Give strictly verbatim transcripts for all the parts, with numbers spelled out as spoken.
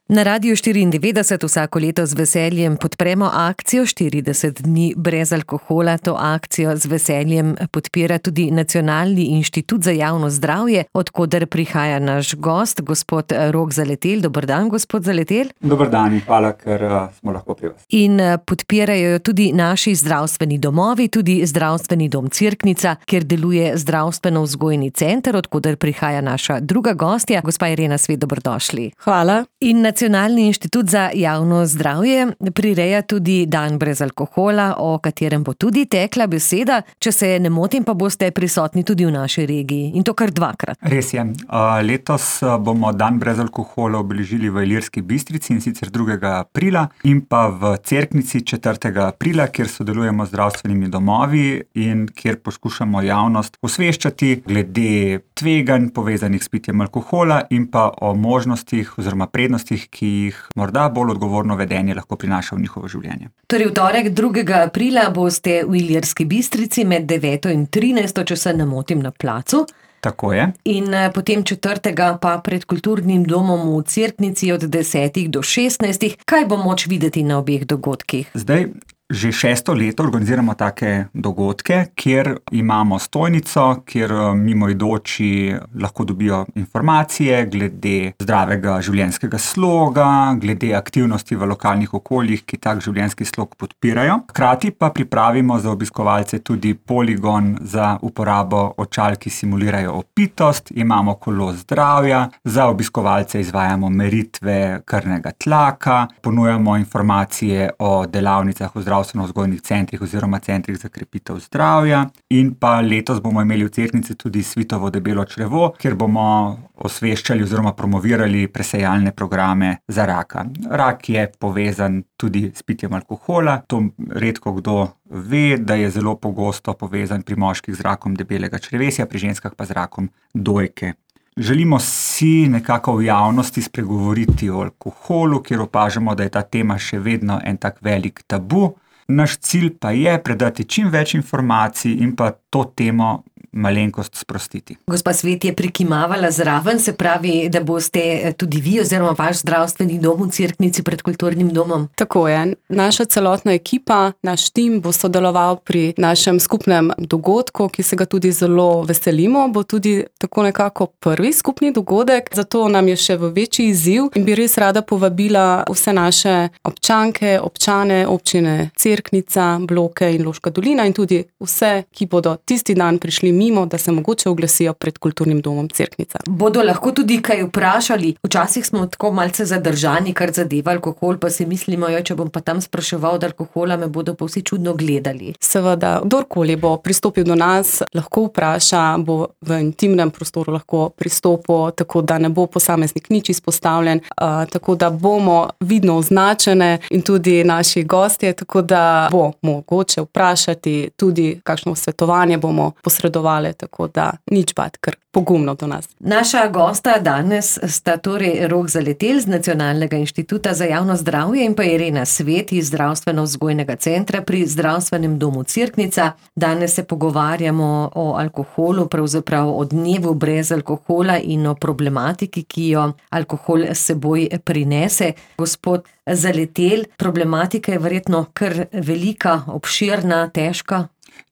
Na Radiu štiriindevetdeset vsako leto z veseljem podpremo akcijo štirideset dni brez alkohola. To akcijo z veseljem podpira tudi Nacionalni inštitut za javno zdravje, od koder prihaja naš gost, gospod Rok Zaletelj. Dober dan, gospod Zaletelj. Dober dan in hvala, ker uh, smo lahko pri vas. In uh, podpirajo jo tudi naši zdravstveni domovi, tudi Zdravstveni dom Cerknica, kjer deluje zdravstveno-vzgojni center, od koder prihaja naša druga gostja, gospa Irena Svet. Dobrodošli. Hvala. In Nacionalni inštitut za javno zdravje prireja tudi dan brez alkohola, o katerem bo tudi tekla beseda. Če se ne motim, pa boste prisotni tudi v naši regiji, in to kar dvakrat. Res je. Letos bomo dan brez alkohola obeležili v Ilirski Bistrici, in sicer drugega aprila, in pa v Cerknici četrtega aprila, kjer sodelujemo z zdravstvenimi domovi in kjer poskušamo javnost osveščati glede tveganj povezanih s pitjem alkohola in pa o možnostih oziroma prednostih, ki jih morda bolj odgovorno vedenje lahko prinaša v njihovo življenje. Torej v torek drugega aprila boste v Ilirski Bistrici med deveto in trinajsto, če se ne motim, na placu. Tako je. In potem četrtega pa pred Kulturnim domom v Cerknici od desetih do šestnajstih. Kaj bo moč videti na obeh dogodkih? Zdaj, že šesto leto organiziramo take dogodke, kjer imamo stojnico, kjer mimoidoči lahko dobijo informacije glede zdravega življenjskega sloga, glede aktivnosti v lokalnih okoljih, ki tak življenjski slog podpirajo. Hkrati pa pripravimo za obiskovalce tudi poligon za uporabo očal, ki simulirajo opitost, imamo kolo zdravja, za obiskovalce izvajamo meritve krvnega tlaka, ponujamo informacije o delavnicah v zdravstveno-vzgojnih centrih oziroma centrih za krepitev zdravja, in pa letos bomo imeli v Cerknici tudi svitovo debelo črevo, kjer bomo osveščali oziroma promovirali presejalne programe za raka. Rak je povezan tudi s pitjem alkohola, to redko kdo ve, da je zelo pogosto povezan pri moških z rakom debelega črevesja, pri ženskah pa z rakom dojke. Želimo si nekako v javnosti spregovoriti o alkoholu, kjer opažamo, da je ta tema še vedno en tak velik tabu. Naš cilj pa je predati čim več informacij in pa to temo malenkost sprostiti. Gospa Svet je prikimavala zraven, se pravi, da boste tudi vi oziroma vaš zdravstveni dom v Cerknici pred Kulturnim domom. Tako je. Naša celotna ekipa, naš tim bo sodeloval pri našem skupnem dogodku, ki se ga tudi zelo veselimo. Bo tudi tako nekako prvi skupni dogodek, zato nam je še v večji izziv in bi res rada povabila vse naše občanke, občane, občine Cerknica, Bloke in Loška dolina in tudi vse, ki bodo tisti dan prišli mimo, da se mogoče oglasijo pred Kulturnim domom Cerknica. Bodo lahko tudi kaj vprašali? Včasih smo tako malce zadržani, kar zadeva alkohol, pa si mislimo, jo, če bom pa tam spraševal od alkohola, me bodo pa vsi čudno gledali. Seveda, kdorkoli bo pristopil do nas, lahko vpraša, bo v intimnem prostoru lahko pristopil, tako da ne bo posameznik nič izpostavljen, uh, tako da bomo vidno označene in tudi naši gostje, tako da bo mogoče vprašati, tudi kakšno svetovanje bomo posredovali, tako da nič bati, kar pogumno do nas. Naša gosta danes sta torej Rok Zaletelj z Nacionalnega inštituta za javno zdravje in pa Irena Svet iz Zdravstveno-vzgojnega centra pri Zdravstvenem domu Cerknica. Danes se pogovarjamo o alkoholu, pravzaprav o dnevu brez alkohola in o problematiki, ki jo alkohol s seboj prinese. Gospod Zaletelj, problematika je verjetno kar velika, obširna, težka.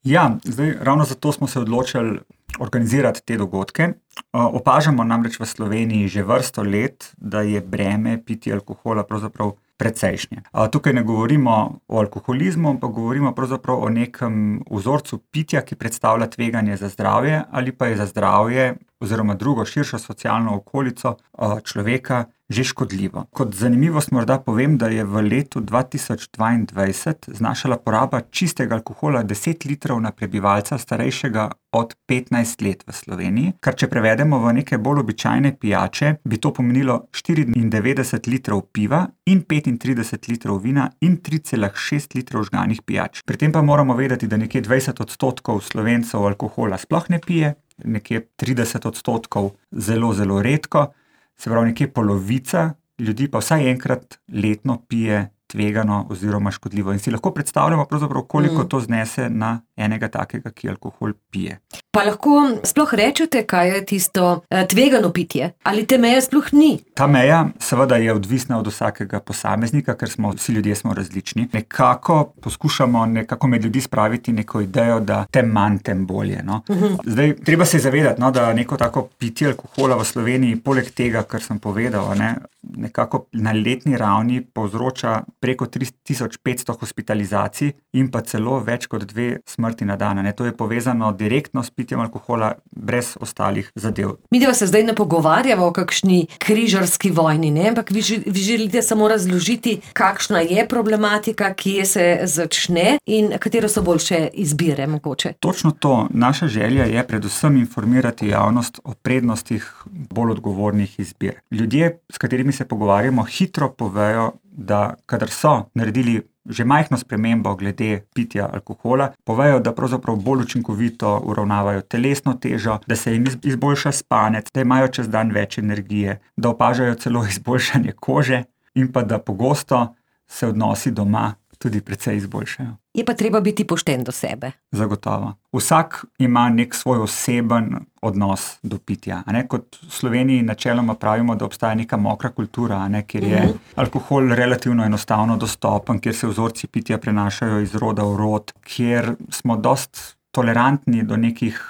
Ja, zdaj ravno zato smo se odločili organizirati te dogodke. Opažamo namreč v Sloveniji že vrsto let, da je breme pitja alkohola pravzaprav precejšnje. Tukaj ne govorimo o alkoholizmu, ampak govorimo pravzaprav o nekem vzorcu pitja, ki predstavlja tveganje za zdravje ali pa je za zdravje oziroma drugo širšo socialno okolico človeka že škodljivo. Kot zanimivost morda povem, da je v letu dva tisoč dvaindvajset znašala poraba čistega alkohola deset litrov na prebivalca starejšega od petnajst let v Sloveniji, kar če prevedemo v neke bolj običajne pijače, bi to pomenilo štiriindevetdeset litrov piva in petintrideset litrov vina in tri cela šest litrov žganih pijač. Pri tem pa moramo vedeti, da nekje dvajset odstotkov Slovencev alkohola sploh ne pije, nekje trideset odstotkov zelo, zelo redko, se pravi nekje polovica ljudi pa vsaj enkrat letno pije tvegano oziroma škodljivo. In si lahko predstavljamo pravzaprav, koliko mm. to znese na enega takega, ki alkohol pije. Pa lahko sploh rečete, kaj je tisto tvegano pitje? Ali te meje sploh ni? Ta meja seveda je odvisna od vsakega posameznika, ker smo vsi ljudje smo različni. Nekako poskušamo nekako med ljudi spraviti neko idejo, da tem manj, tem bolje. No? Uh-huh. Zdaj, treba se zavedati, no, da neko tako pitje alkohola v Sloveniji, poleg tega, kar sem povedal, ne, nekako na letni ravni povzroča preko tri tisoč petsto hospitalizacij in pa celo več kot dve smrti na dan. Ne. To je povezano direktno s pitjem alkohola, brez ostalih zadev. Mi da se zdaj ne pogovarjamo o kakšni križarski vojni, ne? Ampak vi, vi želite samo razložiti, kakšna je problematika, kje se začne in katero so boljše izbire mogoče. Točno to. Naša želja je predvsem informirati javnost o prednostih bolj odgovornih izbir. Ljudje, s katerimi se pogovarjamo, hitro povejo, da kadar so naredili že majhno spremembo glede pitja alkohola, povejo, da pravzaprav bolj učinkovito uravnavajo telesno težo, da se jim izboljša spanec, da imajo čez dan več energije, da opažajo celo izboljšanje kože in pa da pogosto se odnosi doma tudi precej izboljšajo. Je pa treba biti pošten do sebe. Zagotovo. Vsak ima nek svoj oseben odnos do pitja. A ne? Kot v Sloveniji načeloma pravimo, da obstaja neka mokra kultura, a ne? Kjer je uh-huh. alkohol relativno enostavno dostopen, kjer se vzorci pitja prenašajo iz roda v rod, kjer smo dost tolerantni do nekih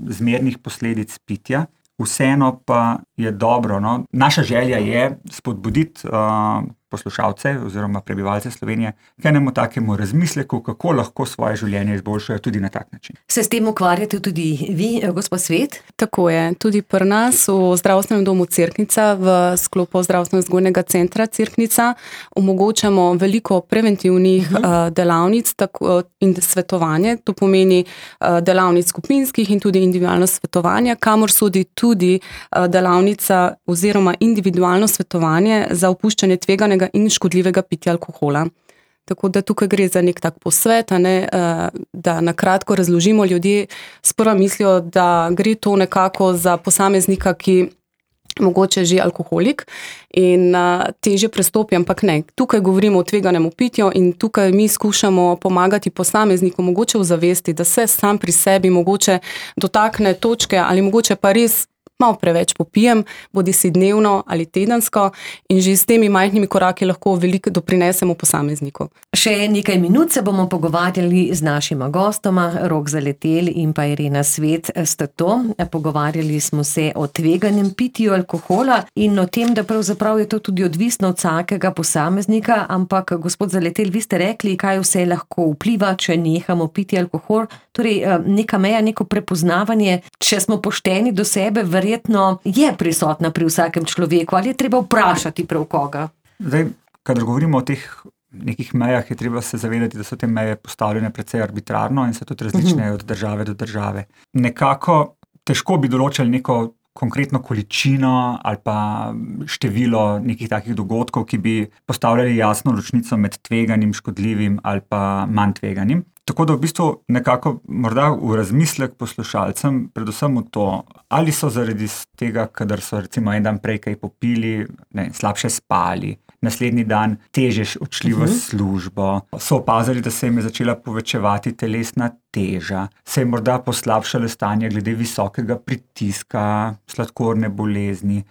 zmernih posledic pitja. Vseeno pa je dobro. No? Naša želja je spodbuditi uh, poslušalce oziroma prebivalce Slovenije k enemu takemu razmisleku, kako lahko svoje življenje izboljšajo tudi na tak način. Se s tem ukvarjate tudi vi, gospod Svet? Tako je. Tudi pri nas v zdravstvenem domu Cerknica v sklopu zdravstveno-vzgojnega centra Cerknica omogočamo veliko preventivnih uh-huh. uh, delavnic tako, in svetovanje. To pomeni uh, delavnic skupinskih in tudi individualno svetovanje, kamor sodi tudi uh, delavnica oziroma individualno svetovanje za opuščanje tveganega in škodljivega pitja alkohola. Tako da tukaj gre za nek tak posvet, ne, da na kratko razložimo, ljudje sprva mislijo, da gre to nekako za posameznika, ki mogoče že alkoholik in težje prestopi, ampak ne. Tukaj govorimo o tveganem pitju in tukaj mi skušamo pomagati posamezniku mogoče v zavesti, da se sam pri sebi mogoče dotakne točke ali mogoče pa res malo preveč popijem, bodi si dnevno ali tedensko in že s temi majhnimi koraki lahko veliko doprinesemo posamezniku. Še nekaj minut se bomo pogovarjali z našima gostoma, Rok Zaletelj in pa Irena Svet sta to. Pogovarjali smo se o tveganem pitju alkohola in o tem, da pravzaprav je to tudi odvisno od vsakega posameznika, ampak gospod Zaletelj, vi ste rekli, kaj vse lahko vpliva, če nehamo piti alkohol. Torej, neka meja, neko prepoznavanje, če smo pošteni do sebe, verjetno je prisotna pri vsakem človeku, ali je treba vprašati prav koga? Zdaj, kadar govorimo o teh nekih mejah, je treba se zavedati, da so te meje postavljene precej arbitrarno in so tudi različne od države do države. Nekako težko bi določili neko konkretno količino ali pa število nekih takih dogodkov, ki bi postavljali jasno ločnico med tveganim, škodljivim ali pa manj tveganim. Tako da v bistvu nekako morda v razmislek poslušalcem, predvsem v to, ali so zaradi tega, kadar so recimo en dan prej kaj popili, ne, slabše spali, naslednji dan težje odšli v službo, so opazili, da se jim je začela povečevati telesna teža, se je morda poslabšalo stanje glede visokega pritiska, sladkorne bolezni.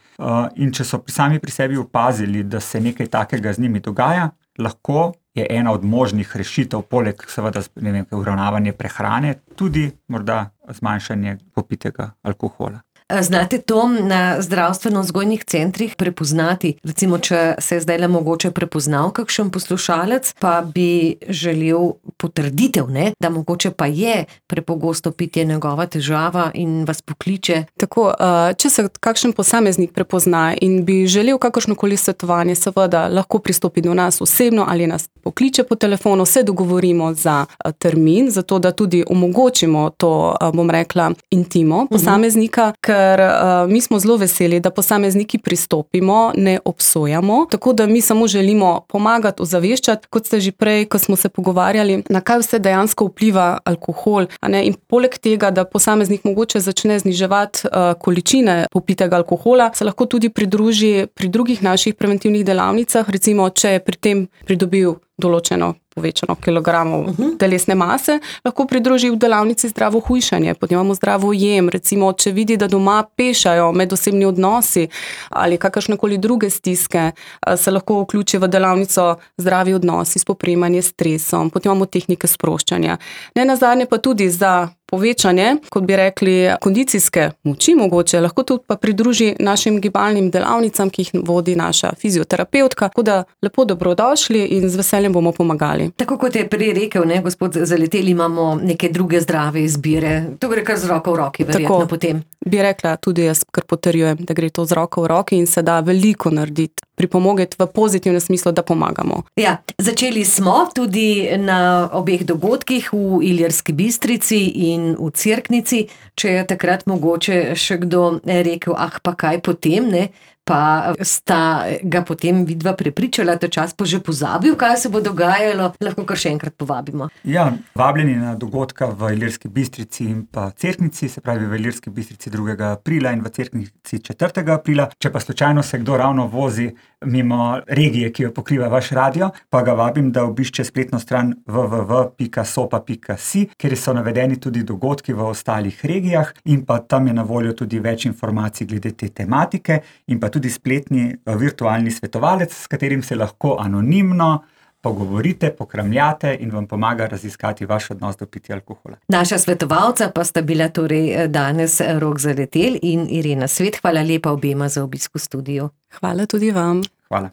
In če so sami pri sebi opazili, da se nekaj takega z njimi dogaja, lahko je ena od možnih rešitev, poleg seveda ne vem, uravnavanje prehrane, tudi morda zmanjšanje popitega alkohola. Znate to na zdravstveno-vzgojnih centrih prepoznati? Recimo, če se zdaj le mogoče prepoznal kakšen poslušalec, pa bi želel potrditev, ne? Da mogoče pa je prepogosto pitje njegova težava in vas pokliče. Tako, če se kakšen posameznik prepozna in bi želel kakršnokoli svetovanje, seveda lahko pristopi do nas osebno ali nas pokliče po telefonu, se dogovorimo za termin, zato da tudi omogočimo to, bom rekla, intimo posameznika, ker uh, mi smo zelo veseli, da posamezniki pristopimo, ne obsojamo, tako da mi samo želimo pomagati, ozaveščati, kot ste že prej, ko smo se pogovarjali, na kaj vse dejansko vpliva alkohol, a ne? In poleg tega, da posameznik mogoče začne zniževati uh, količine popitega alkohola, se lahko tudi pridruži pri drugih naših preventivnih delavnicah, recimo, če je pri tem pridobil določeno povečano kilogramov uh-huh. telesne mase, lahko pridruži v delavnici zdravo hujšanje, potem imamo zdravo jem, recimo, če vidi, da doma pešajo medosebni odnosi ali kakršnekoli druge stiske, se lahko vključi v delavnico zdravi odnosi, spoprijemanje s stresom, potem imamo tehnike sproščanja. Ne nazadnje pa tudi za povečanje, kot bi rekli, kondicijske moči mogoče, lahko tudi pa pridruži našim gibalnim delavnicam, ki jih vodi naša fizioterapevtka, tako da lepo dobrodošli in z veseljem bomo pomagali. Tako kot je prej rekel, ne, gospod Zaletelj, imamo neke druge zdrave izbire. To gre kar z roko v roki, verjetno Tako, potem. Bi rekla, tudi jaz kar potrjujem, da gre to z roko v roki in se da veliko narediti, pripomogeti v pozitivnem smislu, da pomagamo. Ja, začeli smo tudi na obeh dogodkih v Ilirski Bistrici in v Cerknici. Če je takrat mogoče še kdo rekel, ah pa kaj potem, ne? Pa sta ga potem vidva prepričala, ta čas pa že pozabil, kaj se bo dogajalo, lahko kar še enkrat povabimo. Ja, vabljeni na dogodka v Ilirski Bistrici in pa Cerknici, se pravi v Ilirski Bistrici drugega aprila in v Cerknici četrtega aprila. Če pa slučajno se kdo ravno vozi mimo regije, ki jo pokriva vaš radio, pa ga vabim, da obišče spletno stran w w w pika sopa pika si, kjer so navedeni tudi dogodki v ostalih regijah in pa tam je na voljo tudi več informacij glede te tematike in pa tudi spletni virtualni svetovalec, s katerim se lahko anonimno pogovorite, pokramljate in vam pomaga raziskati vaš odnos do pitja alkohola. Naša svetovalca pa sta bila torej danes Rok Zaletelj in Irena Svet. Hvala lepa obema za obisk v studiu. Hvala tudi vam. Hvala.